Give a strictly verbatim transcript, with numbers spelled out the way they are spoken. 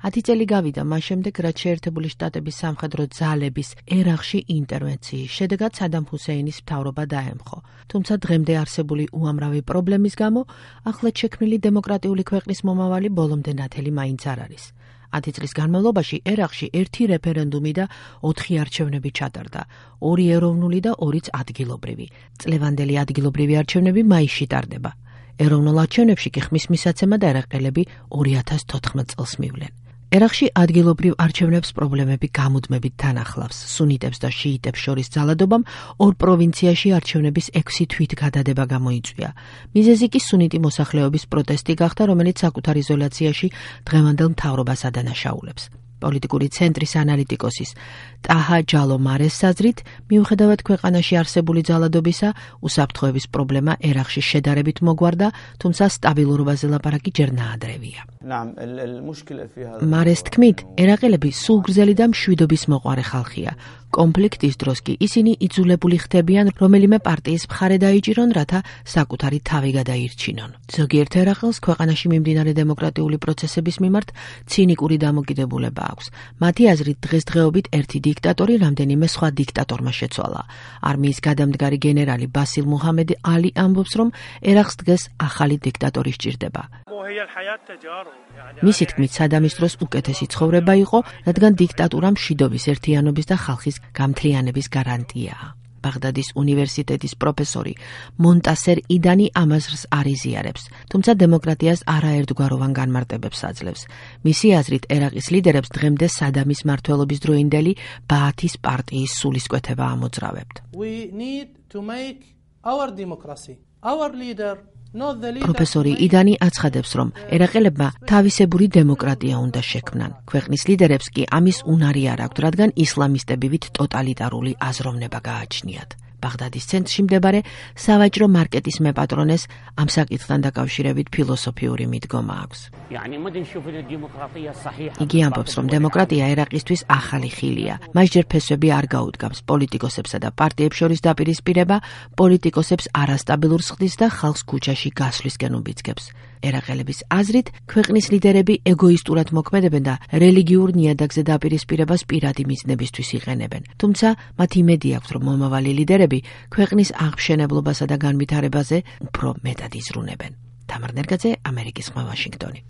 ათი წელი გავიდა მას შემდეგ, რაც შეერთებული შტატების სამხედრო ძალების ერაყში ინტერვენციის შედეგად სადამ ჰუსეინის მთავრობა დაემხო. თუმცა დღემდე არსებული უამრავი პრობლემის გამო ახლად შექმნილი დემოკრატიული ქვეყნის მომავალი ბოლომდე ნათელი მაინც არ არის. ათი წლის განმავლობაში ერაყში ერთი რეფერენდუმი და ოთხი არჩევნები ჩატარდა, ორი ეროვნული და ორიც ადგილობრივი. წლევანდელი ადგილობრივი არჩევნები მაისში ტარდება. ეროვნულ არჩევნებში კი ხმის მისაცემად ერაყელები ორი ათას თოთხმეტ წელს მივლენ. ერაყში ადგილობრივ არჩევნებს პრობლემები გამუდმებით თან ახლავს. სუნიტებს და შიიტებს შორის ძალადობამ ორ პროვინციაში არჩევნების ექვსი თვით გადადება გამოიწვია. მიზეზი კი სუნიტი მოსახლეობის პროტესტი გახდა, რომელიც საკუთარ იზოლაციაში დღევანდელ მთავრობას ადანაშაულებს. პოლიტიკური ცენტრის ანალიტიკოსის ტაჰა ჯალომარეს საზრით, მიუხედავად ქვეყანაში არსებული ძალადობისა, უსაფრთხოების პრობლემა ერაყში შედარებით მოგვარდა, თუმცა სტაბილურობაზე ლაპარაკი ჯერ ნაადრევია. მარეს თქმით, ერაყელები სულგრძელი და მშვიდობის მოყვარე ხალხია. კონფლიქტის დროს კი ისინი იძულებული ხდებიან რომელიმე პარტიის მხარე დაიჭირონ, რათა საკუთარი თავი გადაირჩინონ. ზოგიერთ ერაყელს ქვეყანაში მიმდინარე დემოკრატიული პროცესების მიმართ ცინიკური დამოკიდებულება აქვს. მათი აზრით დღესდღეობით ერთი დიქტატორი რამდენიმე სხვა დიქტატორმა შეცვალა. არმიის გადამდგარი გენერალი ბასილ მუჰამედ ალი ამბობს, რომ ერაყს დღეს ახალი დიქტატორი სჭირდება. მისი თქმით, სადამის დროს უკეთესი ცხოვრება იყო, რადგან დიქტატურა მშვიდობის, ერთიანობის და ხალხის გამთლიანების გარანტიაა. ბაღდადის უნივერსიტეტის პროფესორი მონტასერ იდანი ამაზრს არ იზიარებს, თუმცა დემოკრატიას არაერთგვაროვან განმარტებებს აძლევს. მისი აზრით, ერაყის ლიდერებს დღემდე სადამის მმართველობის დროინდელი ბაათის პარტიის სულისკვეთება ამოძრავებთ. პროფესორი იდანი აცხადებს, რომ ერაყელებმა თავისებური დემოკრატია უნდა შექმნან. ქვეყნის ლიდერებს კი ამის უნარი არ აქვთ, რადგან ისლამისტები ვით ტოტალიტარული აზროვნება გააჩნიათ. ბაღდადის ცენტრში მდებარე სავაჭრო მარკეტის მეპატრონეს ამ საკითხთან დაკავშირებით ფილოსოფიური მიდგომა აქვს. იგი ამბობს, რომ დემოკრატია ერაყისთვის ახალი ხილია. მას ჯერ ფესვები არ გაუდგამს, პოლიტიკოსებსა და პარტიებს შორის დაპირისპირება პოლიტიკოსებს არასტაბილურს ხდის და ხალხს ქუჩაში გასვლისკენ უბიძგებს. ერაყელების აზრით, ქვეყნის ლიდერები ეგოისტურად მოქმედებენ და რელიგიურ ნიადაგზე დაპირისპირებას პირადი მიზნებისთვის იყენებენ. თუმცა მათ იმედი აქვთ, რომ მომავალი ლიდერები ქვეყნის აღმშენებლობასა და განვითარებაზე უფრო მეტად იზრუნებენ. თამარ ნერგაძე, ამერიკის ხმა, ვაშინგტონი.